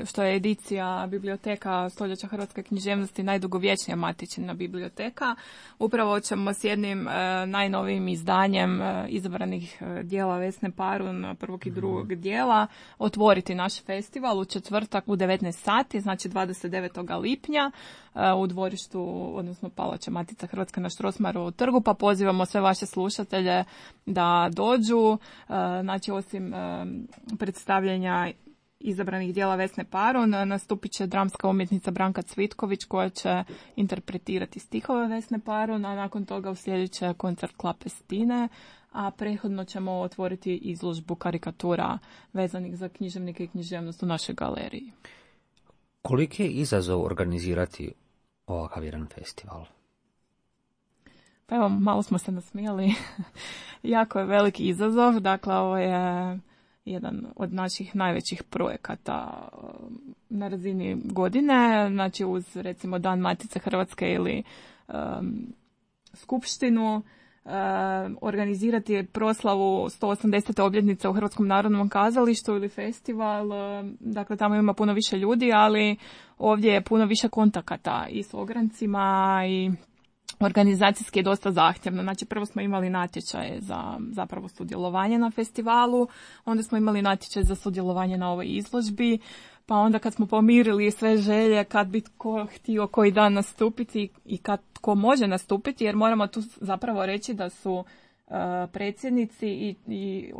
što je edicija biblioteka stoljeća hrvatske književnosti najdugovječnija matičina biblioteka, upravo ćemo s jednim najnovijim izdanjem izabranih dijela Vesne Parun, prvog i drugog dijela, otvoriti naš festival u četvrtak u 19 sati, znači 29. lipnja u dvorištu, odnosno Palača Matica Hrvatska na Strossmayerovu trgu, pa pozivamo sve vaše slušatelje da dođu. Znači, osim predstavljanja izabranih dijela Vesne Parun, nastupit će dramska umjetnica Branka Cvitković koja će interpretirati stihove Vesne Parun, a nakon toga uslijedit će koncert Klape Stine, a prethodno ćemo otvoriti izložbu karikatura vezanih za književnike i književnost u našoj galeriji. Koliki je izazov organizirati ovakav jedan festival? Pa evo, malo smo se nasmijali. Jako je veliki izazov. Dakle, ovo je jedan od naših najvećih projekata na razini godine. Znači, uz recimo Dan Matice Hrvatske ili skupštinu, organizirati proslavu 180. obljetnice u Hrvatskom narodnom kazalištu ili festival. Dakle, tamo ima puno više ljudi, ali ovdje je puno više kontakata i s ograncima i organizacijski je dosta zahtjevno. Znači, prvo smo imali natječaje za zapravo sudjelovanje na festivalu, onda smo imali natječaj za sudjelovanje na ovoj izložbi, pa onda kad smo pomirili sve želje, kad bi tko htio koji dan nastupiti i kad tko može nastupiti, jer moramo tu zapravo reći da su predsjednici i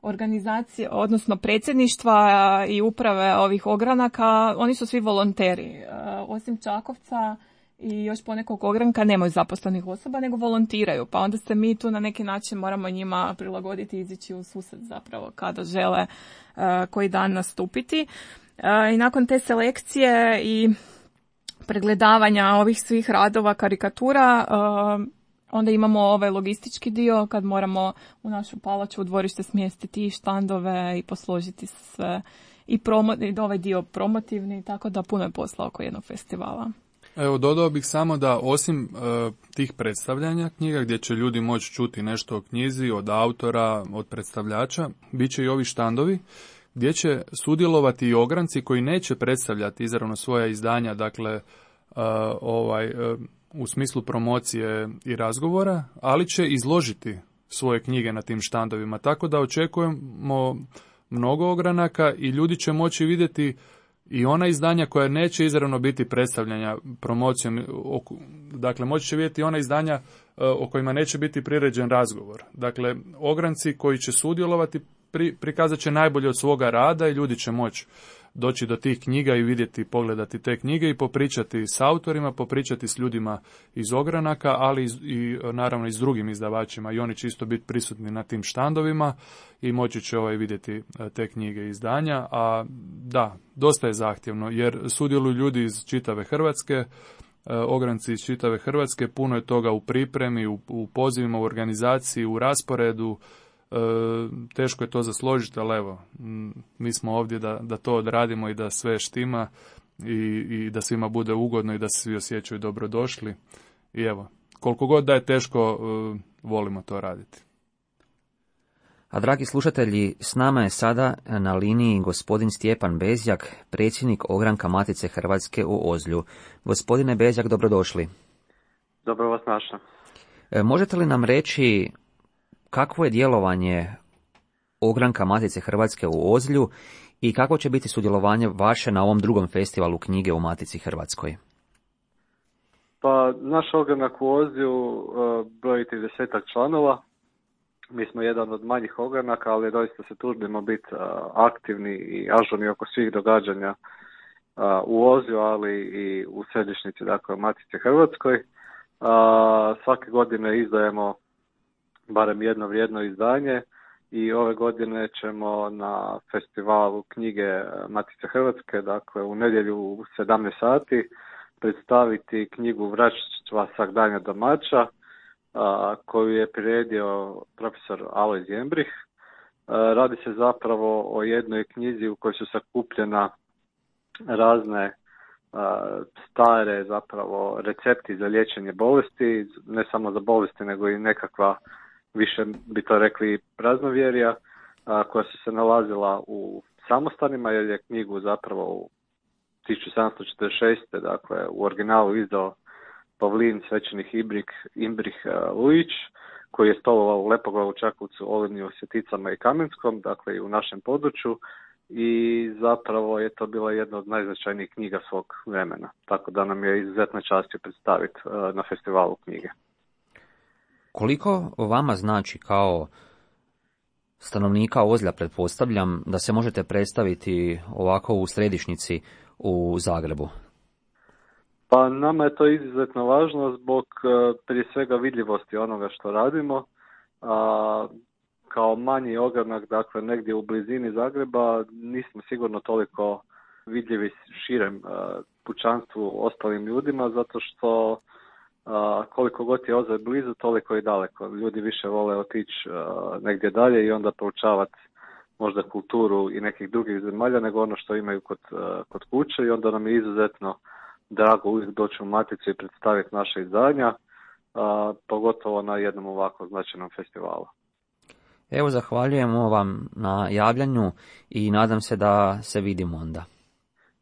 organizacije, odnosno predsjedništva i uprave ovih ogranaka, oni su svi volonteri. Osim Čakovca i još ponekog ogranka nemaju zaposlenih osoba, nego volontiraju. Pa onda se mi tu na neki način moramo njima prilagoditi i izići u susret zapravo kada žele koji dan nastupiti. I nakon te selekcije i pregledavanja ovih svih radova, karikatura, onda imamo ovaj logistički dio kad moramo u našu palaču u dvorište smjestiti i štandove i posložiti sve i ovaj dio promotivni, tako da puno je posla oko jednog festivala. Evo, dodao bih samo da osim tih predstavljanja knjiga gdje će ljudi moći čuti nešto o knjizi, od autora, od predstavljača, bit će i ovi štandovi gdje će sudjelovati i ogranci koji neće predstavljati izravno svoja izdanja, dakle u smislu promocije i razgovora, ali će izložiti svoje knjige na tim štandovima. Tako da očekujemo mnogo ogranaka i ljudi će moći vidjeti i ona izdanja koja neće izravno biti predstavljanja promocijom, dakle moći će vidjeti ona izdanja o kojima neće biti priređen razgovor. Dakle, ogranci koji će sudjelovati prikazat će najbolje od svoga rada i ljudi će moći doći do tih knjiga i vidjeti, pogledati te knjige i popričati s autorima, popričati s ljudima iz ogranaka, ali i naravno i s drugim izdavačima i oni će isto biti prisutni na tim štandovima i moći će vidjeti te knjige i izdanja, a da, dosta je zahtjevno jer sudjeluju ljudi iz čitave Hrvatske, ogranci iz čitave Hrvatske, puno je toga u pripremi, u pozivima, u organizaciji, u rasporedu. Teško je to zasložiti, ali evo, mi smo ovdje da to odradimo i da sve štima i da svima bude ugodno i da se svi osjećaju dobrodošli. I evo, koliko god da je teško, volimo to raditi. A dragi slušatelji, s nama je sada na liniji gospodin Stjepan Bezjak, predsjednik ogranka Matice Hrvatske u Ozlju. Gospodine Bezjak, dobrodošli. Dobro vas našla. Možete li nam reći kakvo je djelovanje ogranka Matice Hrvatske u Ozlju i kako će biti sudjelovanje vaše na ovom drugom festivalu knjige u Matici Hrvatskoj? Pa naš ogranak u Ozlju broji 30 članova. Mi smo jedan od manjih ogranaka, ali doista se trudimo biti aktivni i ažurni oko svih događanja u Ozlju, ali i u središnjici, dakle u Matici Hrvatskoj. Svake godine izdajemo barem jedno vrijedno izdanje i ove godine ćemo na festivalu knjige Matice Hrvatske, dakle u nedjelju u 17 sati, predstaviti knjigu Vraćstva Sagdanja domaća, koju je priredio profesor Alojz Jembrih. Radi se zapravo o jednoj knjizi u kojoj su sakupljena razne stare zapravo recepti za liječenje bolesti, ne samo za bolesti nego i nekakva, više bi to rekli, praznovjerja koja su se nalazila u samostanima, jer je knjigu zapravo u 1746. dakle u originalu izdao Pavlin, svećenik Imbrih Lujić, koji je stolovao u Lepoglavu, Čakovcu, Olinju, Sjeticama i Kamenskom, dakle i u našem području, i zapravo je to bila jedna od najznačajnijih knjiga svog vremena, tako da nam je izuzetna čast predstaviti na festivalu knjige. Koliko vama znači kao stanovnika Ozlja, pretpostavljam, da se možete predstaviti ovako u središnjici u Zagrebu? Pa nama je to izuzetno važno zbog prije svega vidljivosti onoga što radimo. Kao manji ogranak, dakle negdje u blizini Zagreba, nismo sigurno toliko vidljivi širem pučanstvu, ostalim ljudima, zato što koliko god je Ozalj blizu, toliko i daleko. Ljudi više vole otići negdje dalje i onda proučavati možda kulturu i nekih drugih zemalja nego ono što imaju kod kuće, i onda nam je izuzetno drago uvijek doći u Maticu i predstaviti naše izdanja, pogotovo na jednom ovako značajnom festivalu. Evo, zahvaljujemo vam na javljanju i nadam se da se vidimo onda.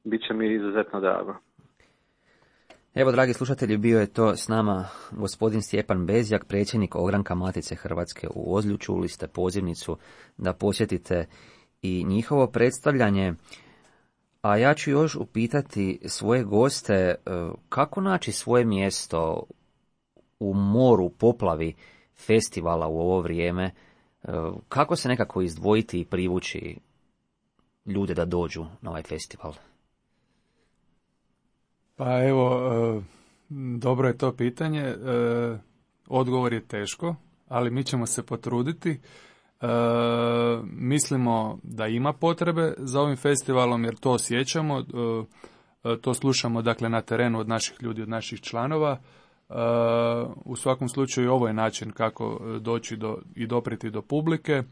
Biće mi izuzetno drago. Evo, dragi slušatelji, bio je to s nama gospodin Stjepan Bezjak, predsjednik ogranka Matice Hrvatske u Ozlju. Čuli ste pozivnicu da posjetite i njihovo predstavljanje. A ja ću još upitati svoje goste kako naći svoje mjesto u moru, poplavi festivala u ovo vrijeme, kako se nekako izdvojiti i privući ljude da dođu na ovaj festival? Pa evo, dobro je to pitanje. Odgovor je teško, ali mi ćemo se potruditi. Mislimo da ima potrebe za ovim festivalom jer to osjećamo, to slušamo dakle na terenu od naših ljudi, od naših članova. U svakom slučaju ovo je način kako doći i dopriti do publike.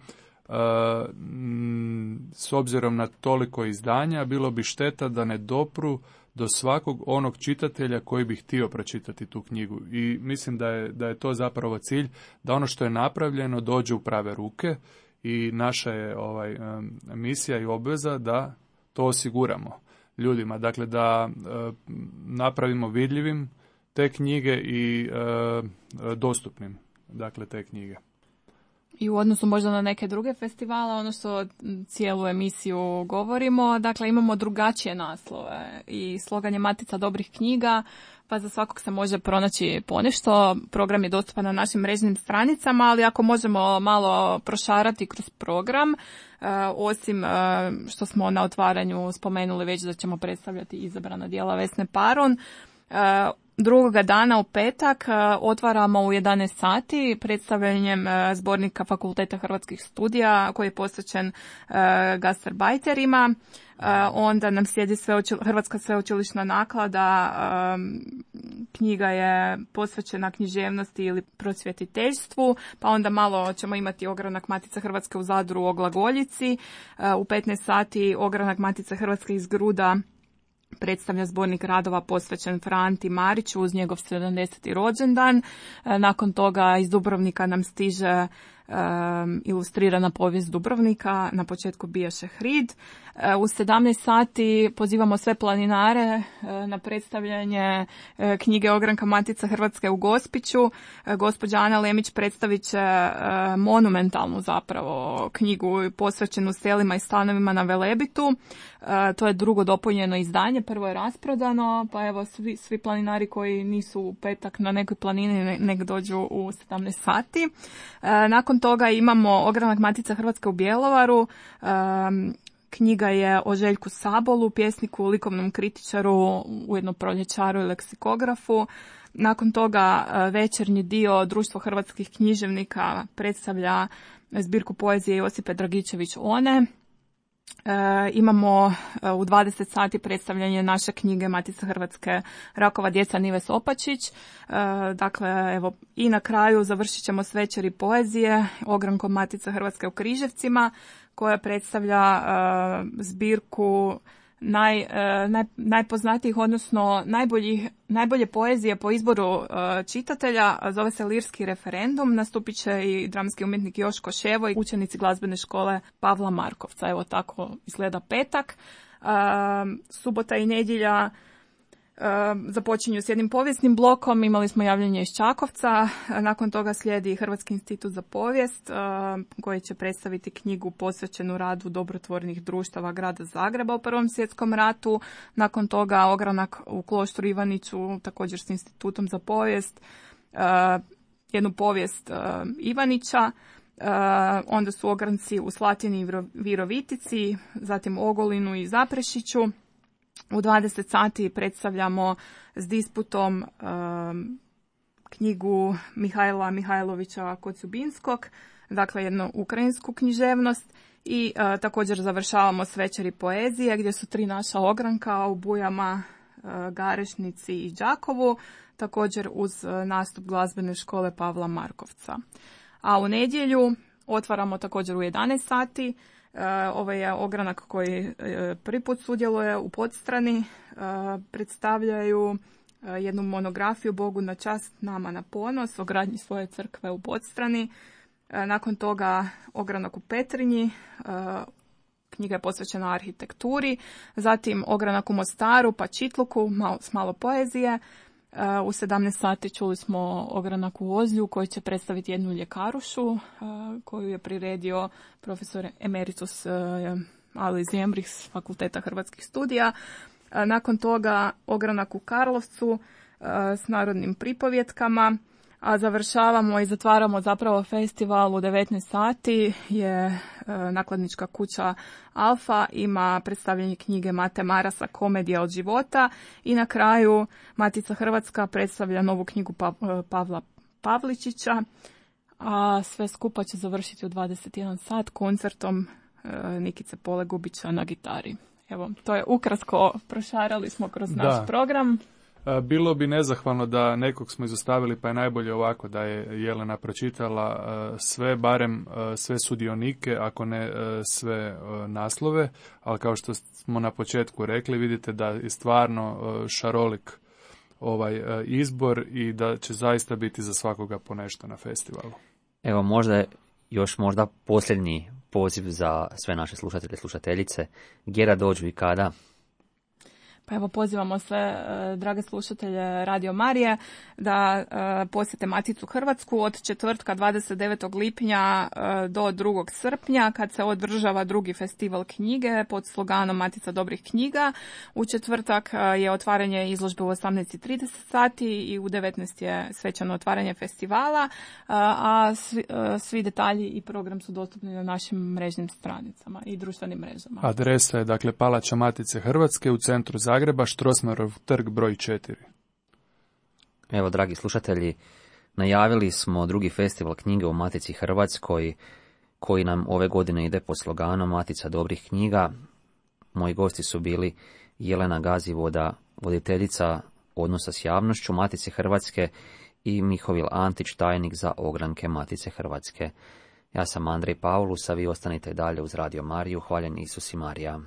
s obzirom na toliko izdanja, bilo bi šteta da ne dopru do svakog onog čitatelja koji bi htio pročitati tu knjigu. I mislim da je to zapravo cilj, da ono što je napravljeno dođe u prave ruke i naša je misija i obveza da to osiguramo ljudima. Dakle, da napravimo vidljivim te knjige i dostupnim, dakle, te knjige. I u odnosu možda na neke druge festivale, ono što cijelu emisiju govorimo, dakle imamo drugačije naslove i slogan je Matica dobrih knjiga, pa za svakog se može pronaći ponešto. Program je dostupan na našim mrežnim stranicama, ali ako možemo malo prošarati kroz program, osim što smo na otvaranju spomenuli već da ćemo predstavljati izabrana djela Vesne Paron, drugoga dana u petak otvaramo u 11 sati predstavljanjem zbornika Fakulteta hrvatskih studija koji je posvećen gastarbajterima. Onda nam slijedi Hrvatska sveučilišna naklada, knjiga je posvećena književnosti ili prosvjetiteljstvu, pa onda malo ćemo imati ogranak Matice Hrvatske u Zadru o glagoljici. U 15 sati ogranak Matice Hrvatske iz Gruda predstavlja zbornik radova posvećen Franti Mariću uz njegov 70. rođendan. Nakon toga iz Dubrovnika nam stiže ilustrirana povijest Dubrovnika, na početku bijaše Hrid. U 17 sati pozivamo sve planinare na predstavljanje knjige ogranka Matica Hrvatske u Gospiću. Gospođa Ana Lemić predstavit će monumentalnu zapravo knjigu posvećenu selima i stanovima na Velebitu. To je drugo dopunjeno izdanje, prvo je rasprodano, pa evo svi planinari koji nisu u petak na nekoj planini nek dođu u 17 sati. Nakon toga imamo ogranak Matica Hrvatske u Bjelovaru. Knjiga je o Željku Sabolu, pjesniku, likovnom kritičaru, ujedno proljećaru i leksikografu. Nakon toga večernji dio Društvo hrvatskih književnika predstavlja zbirku poezije Josipe Dragičević One. Imamo u 20 sati predstavljanje naše knjige Matice Hrvatske Rakova djeca Nive Sopačić. Dakle, evo, i na kraju završit ćemo s večeri poezije ogrankom Matice Hrvatske u Križevcima, koja predstavlja zbirku najpoznatijih, odnosno najbolje poezije po izboru čitatelja. Zove se Lirski referendum. Nastupit će i dramski umjetnik Joško Ševo i učenici glazbene škole Pavla Markovca. Evo tako izgleda petak. Subota i nedjelja započinju s jednim povijesnim blokom. Imali smo javljanje iz Čakovca. Nakon toga slijedi Hrvatski institut za povijest koji će predstaviti knjigu posvećenu radu dobrotvornih društava grada Zagreba u Prvom svjetskom ratu. Nakon toga ogranak u Kloštru Ivaniću također s institutom za povijest. Jednu povijest Ivanića. Onda su ogranci u Slatini i Virovitici, zatim Ogolinu i Zaprešiću. U 20 sati predstavljamo s disputom knjigu Mihajla Mihajlovića Kocjubinskog, dakle jednu ukrajinsku književnost, i također završavamo s večeri poezije gdje su 3 naša ogranka u Bujama, Garešnici i Đakovu, također uz nastup glazbene škole Pavla Markovca. A u nedjelju otvaramo također u 11 sati. Ovo je ogranak koji prvi put sudjeluje u Podstrani. Predstavljaju jednu monografiju Bogu na čast, nama na ponos o gradnji svoje crkve u Podstrani. Nakon toga ogranak u Petrinji, knjiga je posvećena arhitekturi. Zatim ogranak u Mostaru pa Čitluku s malo poezije. U 17 sati čuli smo ogranak u Ozlju koji će predstaviti jednu ljekarušu koju je priredio profesor emeritus Ali Zembrih s Fakulteta hrvatskih studija. Nakon toga ogranak u Karlovcu s narodnim pripovjetkama, a završavamo i zatvaramo zapravo festival u 19 sati je nakladnička kuća Alfa, ima predstavljanje knjige Mate Marasa Komedija od života, i na kraju Matica Hrvatska predstavlja novu knjigu Pavla Pavličića, a sve skupa će završiti u 21 sat koncertom Nikice Polegubića na gitari. Evo, to je ukratko, prošarali smo kroz naš program. Bilo bi nezahvalno da nekog smo izostavili, pa je najbolje ovako da je Jelena pročitala sve, barem sve sudionike, ako ne sve naslove, ali kao što smo na početku rekli, vidite da je stvarno šarolik ovaj izbor i da će zaista biti za svakoga ponešto na festivalu. Evo možda posljednji poziv za sve naše slušatelje i slušateljice. Gdje da dođu i kada? Pa evo pozivamo sve drage slušatelje Radio Marije da posjete Maticu Hrvatsku od četvrtka 29. lipnja do 2. srpnja kad se održava drugi festival knjige pod sloganom Matica dobrih knjiga. U četvrtak je otvaranje izložbe u 18:30 sati i u 19 je svečano otvaranje festivala, a svi detalji i program su dostupni na našim mrežnim stranicama i društvenim mrežama. Adresa je dakle Palača Matice Hrvatske u centru Zagreba, Strossmayerov trg broj 4. Evo, dragi slušatelji, najavili smo drugi festival knjige u Matici Hrvatskoj, koji nam ove godine ide pod sloganom Matica dobrih knjiga. Moji gosti su bili Jelena Gazivoda, voditeljica odnosa s javnošću Matice Hrvatske, i Mihovil Antić, tajnik za ogranke Matice Hrvatske. Ja sam Andrej Paulus, a vi ostanite dalje uz Radio Mariju. Hvaljen Isus i Marija.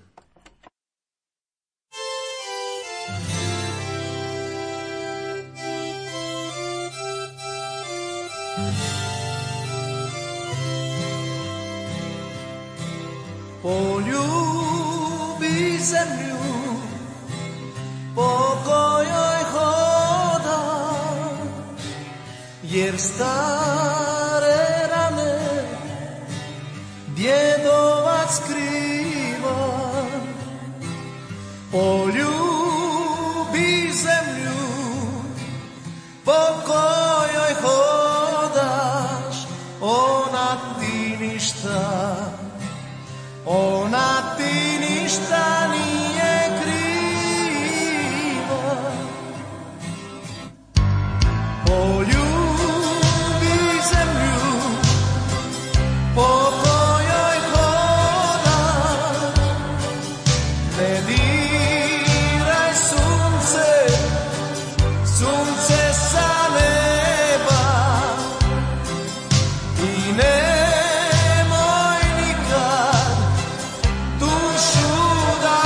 Poljubi zemlju po kojoj hodam, jer stare rane djedovac skriva. Poljubi zemlju po kojoj hodaš, ona ti ništa, ona ti ništa nije kriva. Poljubi zemlju po kojoj hodaš, ne diraj sunce, sunce sa neba, i nemoj nikad dušu da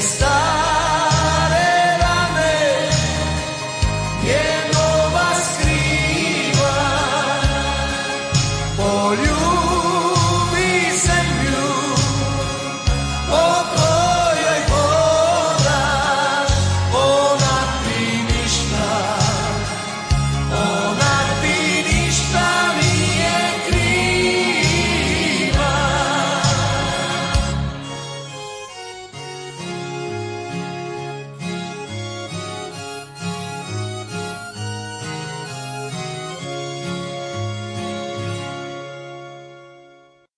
stars.